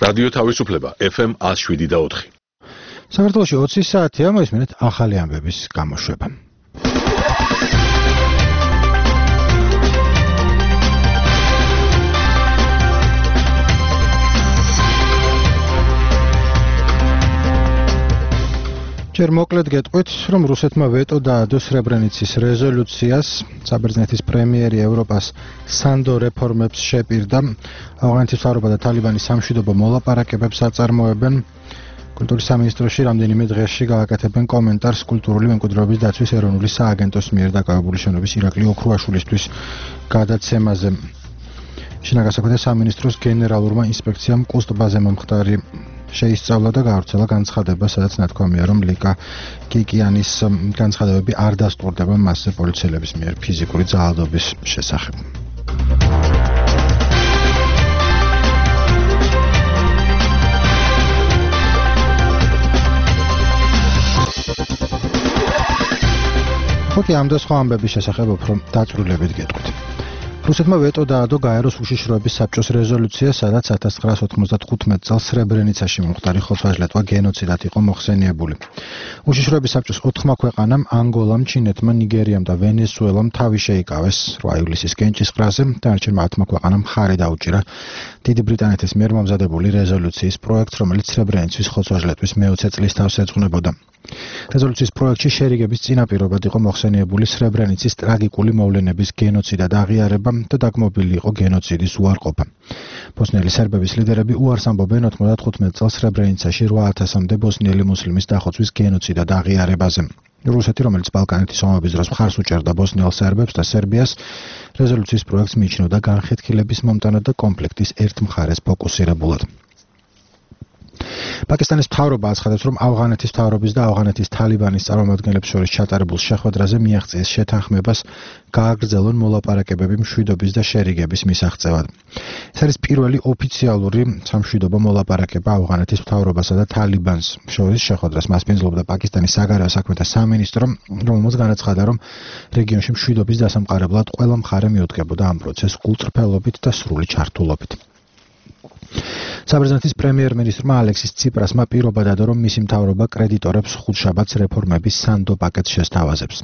რადიო თავისუფლება FM 107.4. საქართველოში 20 საათია, მოისმინეთ ახალი ამბების გამოშვება. ჯერ მოკლედ გეტყვით, რომ რუსეთმა ვეტო დაადო სრებრენიცის რეზოლუციას, საბერძნეთის პრემიერი ევროპას სანდო რეფორმებს შეპირდა, ავღანეთის მთავრობა და თალიბანის სამშვიდობო მოლაპარაკებებს აწარმოებენ. კულტურის სამინისტროში რამდენიმე დღეში გააკეთებენ კომენტარს კულტურული მემკვიდრეობის დაცვის ეროვნული სააგენტოს მიერ დაკავებული შენობის ირაკლი ოქრუაშვილისთვის გადაცემაზე. შინაგან საქმეთა სამინისტროს გენერალურმა ინსპექციამ კუსტბაზე მომხდარი შეისწავლა და გაავრცელა განცხადება, სადაც ნათქვამია, რომ ლიკა კიკიანის განცხადებები არ დასტურდება მასზე პოლიციელების მიერ ფიზიკური ძალადობის შესახებ. ხუთი ამ და სხვა ამბების შესახებ უფრო დაწვრილებით გეტყვით. რუსეთმა ვეტო დაადო გაეროს უშიშროების საბჭოს რეზოლუციას, სადაც 1995 წელს სრებრენიცაში მომხდარი ხოცვა-ჟლეტვა გენოციდად იყო მოხსენიებული. უშიშროების საბჭოს 4 ქვეყანამ, ანგოლამ, ჩინეთმა, ნიგერიამ და ვენესუელამ თავი შეიკავეს 8 ივლისის კენჭისყრაზე, დანარჩენმა 10 ქვეყანამ მხარი დაუჭირა დიდი ბრიტანეთის მიერ მომზადებული რეზოლუციის პროექტს, რომელიც სრებრენიცის ხოცვა-ჟლეტვის მე-20 წლის თავს ეძღვნებოდა. რეზოლუციის პროექტში შერიგების წინაპირობად იყო მოხსენიებული სრებრენიცის ტრაგიკული მოვლენების გენოციდად აღიარება და დაგმობილი იყო გენოციდის უარყოფა. ბოსნიელი სერბების ლიდერები უარს ამბობენ 95 წელს სრებრენიცაში 8000-მდე ბოსნიელი მუსლიმის დახოცვის გენოციდად აღიარებაზე. რუსეთი, რომელიც ბალკანეთის ომების დროს მხარს უჭერდა ბოსნიელ სერბებს და სერბიას, რეზოლუციის პროექტს მიიჩნევდა განხეთქილების მომტანად და კონფლიქტის ერთ მხარეს ფოკუსირებულად. პაკისტანის მთავრობა აცხადებს, რომ ავღანეთის მთავრობის და ავღანეთის თალიბანის წარმომადგენლებს შორის ჩატარებულ შეხვედრაზე მიაღწიეს შეთანხმებას გააგრძელონ მოლაპარაკებები მშვიდობის და შერიგების მისაღწევად. ეს არის პირველი ოფიციალური სამშვიდობო მოლაპარაკება ავღანეთის მთავრობასა და თალიბანს შორის შეხვედრას მასპინძლობდა პაკისტანის საგარეო საქმეთა სამინისტრო, რომელმაც განაცხადა, რომ რეგიონში მშვიდობის დასამყარებლად ყველა მხარე მიუდგებოდა ამ პროცესს გულწრფელობით და სრული ჩართულობით. საბერძნეთის პრემიერ-მინისტრმა ალექსის ციპრასმა პირობა დადო, რომ მისი მთავრობა კრედიტორებს ხუთშაბათს რეფორმების სანდო პაკეტს შესთავაზებს.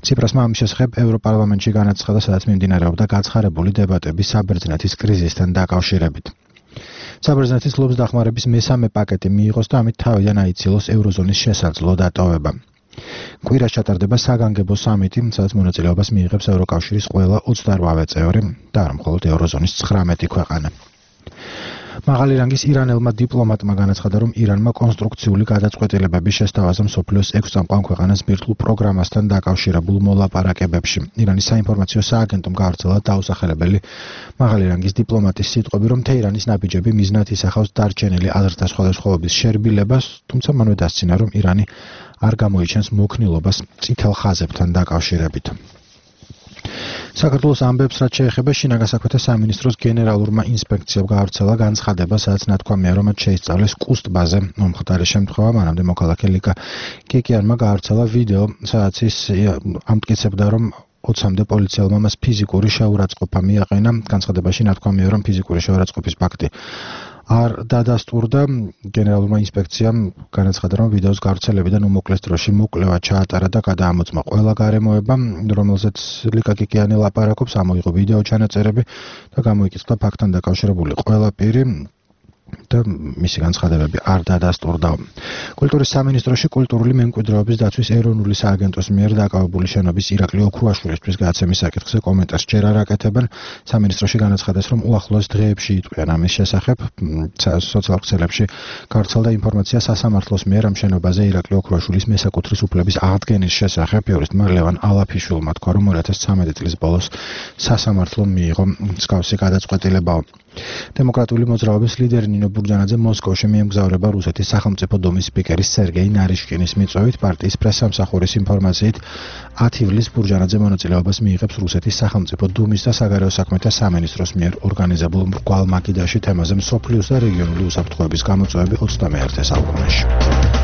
ციპრასმა ამის შესახებ ევროპარლამენტში განაცხადა, სადაც მიმდინარეობდა გაცხარებული დებატები საბერძნეთის კრიზისთან დაკავშირებით. საბერძნეთი ცდილობს დახმარების მესამე პაკეტი მიიღოს და ამით თავიდან აიცილოს ევროზონის შესაძლო დატოვება. კვირას ჩატარდება საგანგებო სამიტი, სადაც მონაწილეობას მიიღებს ევროკავშირის ყველა 28 წევრი და არა მხოლოდ ევროზონის 19 ქვეყანა. მაღალი რანგის ირანელმა დიპლომატმა განაცხადა, რომ ირანმა კონსტრუქციული გადაწყვეტილებების შესთავაზა მსოფლიოს 6 წამყვან ქვეყანას ბირთვულ პროგრამასთან დაკავშირებულ მოლაპარაკებებში. ირანის საინფორმაციო სააგენტომ გაავრცელა დაუსახელებელი მაღალი რანგის დიპლომატის სიტყვები, რომ თეირანის ნაბიჯები მიზნად ისახავს დარჩენილი აზრთა სხვადასხვაობის შერბილებას, თუმცა მანვე დასცინა, რომ ირანი არ გამოიჩენს მოქნილობას წითელ ხაზებთან დაკავშირებით. საქართველოს ამბებს, რაც შეეხება შინაგან საქმეთა სამინისტროს გენერალურმა ინსპექციამ გაავრცელა განცხადება, სადაც ნათქვამია, რომ მათ შეისწავლეს კუსტბაზე მომხდარი შემთხვევა, მანამდე მოქალაქე ლიკა კიკიანმა გაავრცელა ვიდეო, სადაც ის ამტკიცებდა, რომ 20-მდე პოლიციელმა მას ფიზიკური შეურაცხყოფა მიაყენა. განცხადებაში ნათქვამია, რომ ფიზიკური შეურაცხყოფის ფაქტი არ დადასტურდა. გენერალურმა ინსპექციამ განაცხადა, რომ ვიდეოს გავრცელებიდან უმოკლეს დროში მოკვლევა ჩაატარა და გადაამოწმა ყველა გარემოება, რომელზეც ლიკა კიკიანი ლაპარაკობს, ამოიღო ვიდეო ჩანაწერები და გამოიკითხა ფაქტთან დაკავშირებული ყველა პირი და მისი განცხადებები არ დადასტურდა. კულტურის სამინისტროში კულტურული მემკვიდრეობის დაცვის ეროვნული სააგენტოს მიერ დაკავებული შენობის ირაკლი ოქრუაშვილისთვის გადაცემის საკითხზე კომენტარს ჯერ არ აკეთებენ. სამინისტროში განაცხადეს, რომ უახლოეს დღეებში იტყვიან ამის შესახებ. სოციალურ ქსელებში გავრცელდა ინფორმაცია სასამართლოს მიერ ამ შენობაზე ირაკლი ოქრუაშვილის მესაკუთრის უფლების აღდგენის შესახებ. იურისტმა ლევან ალაფიშვილმა თქვა, რომ 2013 წლის ბოლოს სასამართლომ მიიღო მსგავსი გადაწყვეტილება. დემოკრატიული მოძრაობის ლიდერი ნინო ბურჯანაძე მოსკოვში მიემგზავრება რუსეთის სახელმწიფო დომის სპიკერის სერგეი ნარიშკინის მიწვევით. პარტიის პრესსამსახურის ინფორმაციით 10 ივლისს ბურჯანაძე მონაწილეობას მიიღებს რუსეთის სახელმწიფო დუმის და საგარეო საქმეთა სამინისტროს მიერ ორგანიზებულ მრგვალ მაგიდაში თემაზე მსოფლიოს და რეგიონული უსაფრთხოების გამოწვევები 21 საუკუნეში.